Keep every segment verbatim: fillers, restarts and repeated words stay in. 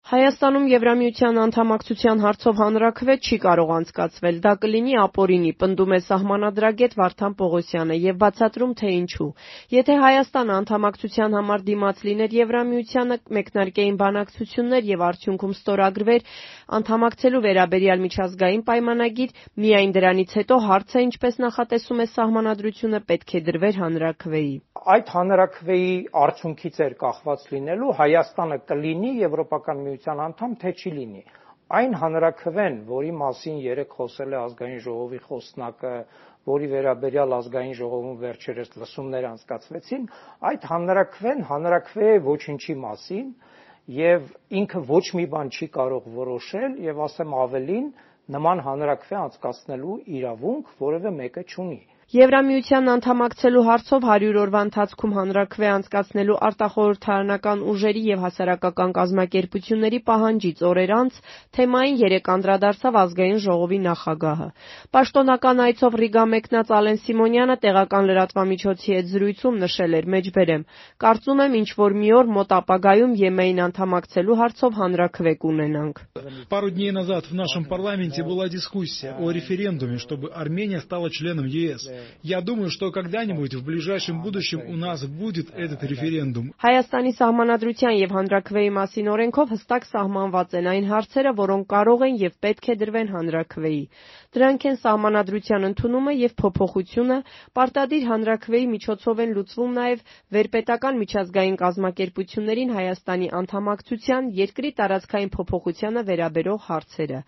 Հայաստանում Եվրամիության անդամակցության հարցով հանրաքվե չի կարող անցկացվել, դա կլինի ապօրինի, պնդում է սահմանադրագետ Վարդան Պողոսյանը եւ բացատրում, թե ինչու։ Եթե Հայաստանը անդամակցության համար դիմաց լիներ Եվրամիությանը, մեկնարկեին բանակցություններ եւ արդյունքում ստորագրվեր անդամակցելու վերաբերյալ միջազգային պայմանագիր, միայն դրանից հետո հարցը, ինչպես նախատեսում է սահմանադրությունը, պետք է դրվեր հանրաքվեի։ Այդ հանրաքվեի արդյունքից էր կախված լինելու Հայաստանը կլինի Եվրոպական միության անդամ, թե չի լինի։ Այն հանրաքվեն, որի մասին երեք խոսել է ազգային ժողովի խոսնակը, որի վերաբերյալ ազգային ժողովում վերջերս լսումներ անցկացվեցին, այդ հանրաքվեն հանրաքվե է ոչինչի մասին եւ ինքը ոչ մի բան չի կարող որոշել եւ ասեմ ավելին, նման հանրաքվե անցկացնելու իրավունք որևէ մեկը չունի։ Եվրամիության անդամակցելու հարցով հարյուր օրվա ընթացքում հանրաքվե անցկացնելու արտախորհրդարանական ուժերի եւ հասարակական կազմակերպությունների պահանջից օրեր անց թեմային երեկ անդրադարձավ ազգային ժողովի նախագահը։ Պաշտոնական այցով Ռիգա մեկնած Ալեն Սիմոնյանը տեղական լրատվամիջոցի հետ զրույցում նշել էր. «Մեջբերեմ, կարծում եմ ինչ որ մի օր մոտ ապագայում ԵՄ-ին անդամակցելու հարցով հանրաքվե կունենանք»։ Пару дней назад в нашем парламенте была дискуссия о референдуме, чтобы Армения стала членом ЕС. Я думаю, что когда-нибудь в ближайшем будущем у нас будет этот референдум. Հայաստանի սահմանադրության եւ հանրաքվեի մասին օրենքով հստակ սահմանված են այն հարցերը, որոնք կարող են եւ պետք է դրվեն հանրաքվեի։ Դրանք են սահմանադրության ընդունումը եւ փոփոխությունը, պարտադիր հանրաքվեի միջոցով են լուծվում նաեւ վերպետական միջազգային կազմակերպություններին Հայաստանի անդամակցության, երկրի տարածքային փոփոխությանը վերաբերող հարցերը։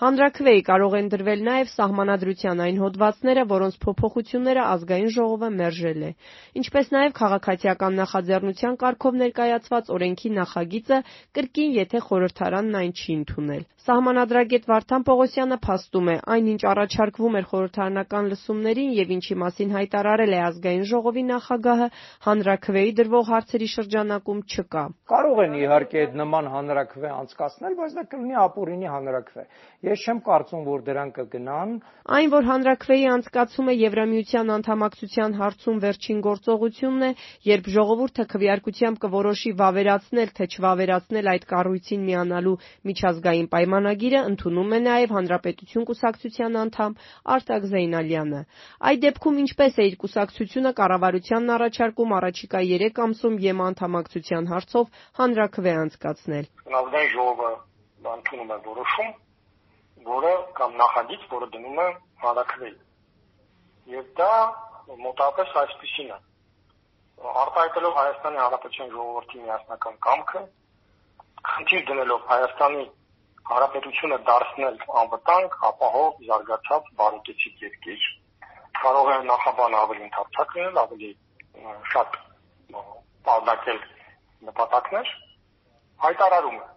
Հանրաքվեի կարող են դրվել նաեւ սահմանադրության այն հոդվածները, որոնց փոփոխությունները ազգային ժողովը մերժել է, ինչպես նաև քաղաքացիական նախաձեռնության կարգով ներկայացված օրենքի նախագիծը, կրկին եթե խորհրդարանն այն չի ընդունել։ Սահմանադրագետ Վարդան Պողոսյանը փաստում է, այնինչ առաջարկվում էր խորհրդարանական լսումներին եւ ինչի մասին հայտարարել է ազգային ժողովի նախագահը, հանրաքվեի դրվող հարցերի շրջանակում չկա։ Կարող են իհարկե նման հանրաքվե անցկացնել, բայց դա կլինի ապօրինի հանրաքվե։ Ես չեմ կարծում, որ դրանք կգնան։ Այն, որ հանրաքվեի անցկացումը Եվրամիության անդամակցության հարցում վերջին գործողությունն է, երբ ժողովուրդը քվեարկությամբ կորոշի վավերացնել թե չվավերացնել այդ կառույցին միանալու միջազգային պայմանագիրը, ընդունում է նաև Հանրապետություն կուսակցության անդամ Արտակ Զեյնալյանը։ Այդ դեպքում ինչպես է իր կուսակցությունը կառավարությանն առաջարկում առաջիկա երեք ամսում ԵՄ անդամակցության հարցով հանրաքվե անցկացնել։ Ազգային ժողովը ընդունում է որոշում, որը կամ նախագիծ, որը դնում է հանրաքվեի։ Եվ դա մոտավորապես այսպիսին է։ Արտահայտելով Հայաստանի Հանրապետության ժողովրդի միասնական կամքը, խնդիր դնելով Հայաստանի Հանրապետությունը դարձնել անվտանգ, ապահով, զարգացած, բարեկեցիկ երկիր, կարող է նախաբանը ավելի ընդարձակ լինել, ավելի շատ պարունակել նպատակներ, հայտարարում է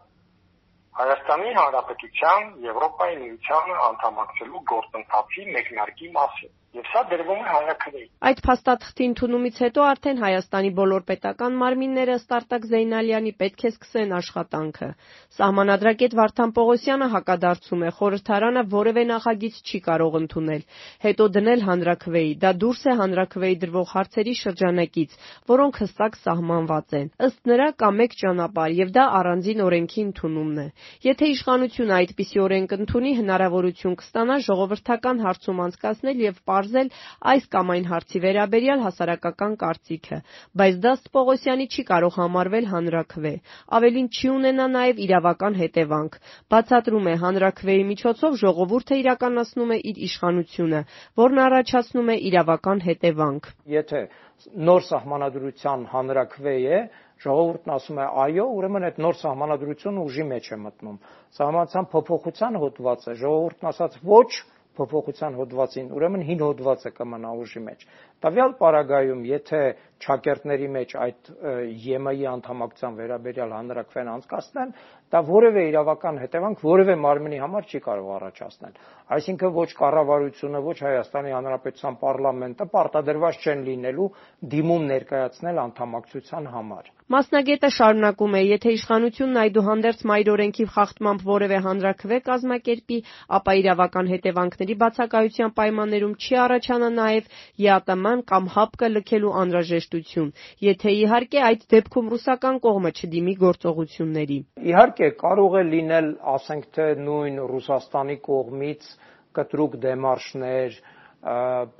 Հայաստանի Հանրապետության Եվրոպայի միությանը անդամակցելու գործընթացի մեկնարկի մասին։ Եվ սա դրվում է հանրաքվեի։ Այդ փաստաթղթի ընդունումից հետո արդեն Հայաստանի բոլոր պետական մարմինները ըստ Արտակ Զեյնալյանի պետք է սկսեն աշխատանքը։ Սահմանադրագետ Վարդան Պողոսյանը հակադարձում է, խորհրդարանը որևէ նախագիծ չի կարող ընդունել, հետո դնել հանրաքվեի։ Դա դուրս է հանրաքվեի դրվող հարցերի շրջանակից, որոնք հստակ սահմանված են։ Ըստ նրա կա մեկ ճանապարհ, եւ դա առանձին օրենքի ընդունումն է։ Եթե իշխանությունը այդպիսի օրենք ընդունի, հնարավորություն կստանա ժողովրդական հարցում անցկացնել եւ պարզել այս կամ այն հարցի վերաբերյալ հասարակական կարծիքը, բայց դա ըստ Պողոսյանի չի կարող համարվել հանրաքվե։ Ավելին չի ունենա նաև իրավական հետևանք։ Բացատրում է, հանրաքվեի միջոցով ժողովուրդը իրականացնում է իր իշխանությունը, որն առաջացնում է իրավական հետևանք։ Եթե նոր սահմանադրության հանրաքվե է, ժողովուրդն ասում է այո, ուրեմն այդ նոր սահմանադրությունը ուժի մեջ է մտնում։ Սահմանադրության փոփոխության հոդվածը ժողովուրդն ասաց ոչ փոփոխության հոդվածին, ուրեմն հին հոդվածը կմնա ուժի մեջ։ Տվյալ պարագայում, եթե ճակերտների մեջ այդ ԵՄ-ի անդամակցության վերաբերյալ հանրաքվեն անցկացնեն, դա որևէ իրավական հետևանք որևէ մարմնի համար չի կարող առաջացնել։ Այսինքն ոչ կառավարությունը, ոչ Հայաստանի Հանրապետության պարլամենտը պարտադրված չեն լինելու դիմում ներկայացնել անդամակցության համար։ Մասնագետը շարունակում է, եթե իշխանությունն այդուհանդերձ մայր օրենքի խախտմամբ որևէ հանրաքվե կազմակերպի, ապա իրավական հետևանքների բացակայության պայմաններում չի առաջանա նաև ԵԱՏՄ-ն կամ ՀԱՊԿ-ը լքելու անհրաժեշտ ճշտություն, եթե իհարկե այդ դեպքում ռուսական կողմը չդիմի գործողությունների։ Իհարկե կարող է լինել, ասենք թե նույն Ռուսաստանի կողմից կտրուկ դեմարշներ,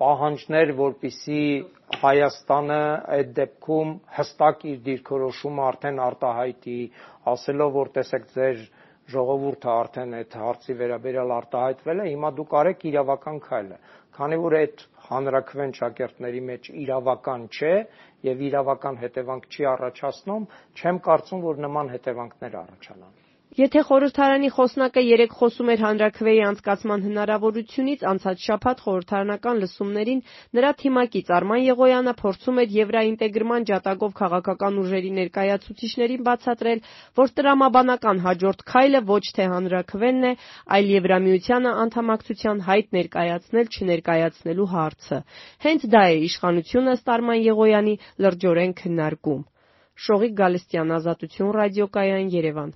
պահանջներ, որպեսզի Հայաստանը այդ դեպքում հստակ իր դիրքորոշումը արդեն արտահայտի, ասելով, որ տեսեք ձեր ժողովուրդը արդեն այդ հարցի վերաբերյալ արտահայտվել է, հիմա դուք արեք իրավական քայլը, քանի որ այդ հանրաքվեն ճակերտների մեջ իրավական չէ եւ իրավական հետևանք չի առաջացնում, չեմ կարծում, որ նման հետևանքներ առաջանան։ Եթե խորհրդարանի խոսնակը երեկ խոսում էր հանրաքվեի անցկացման հնարավորությունից, անցած շաբաթ խորհրդարանական լսումներին նրա թիմակից Արման Եղոյանը փորձում էր եվրաինտեգրման ջատագով քաղաքական ուժերի ներկայացուցիչներին բացատրել, որ տրամաբանական հաջորդ քայլը ոչ թե հանրաքվեն է, այլ Եվրամիությանը անդամակցության հայտ ներկայացնել-չներկայացնելու հարցը։ Հենց դա է իշխանությունը, ըստ Արման Եղոյանի, լրջորեն քննարկում։ Շողիկ Գալստյան, Ազատություն ռադիոկայան, Երևան։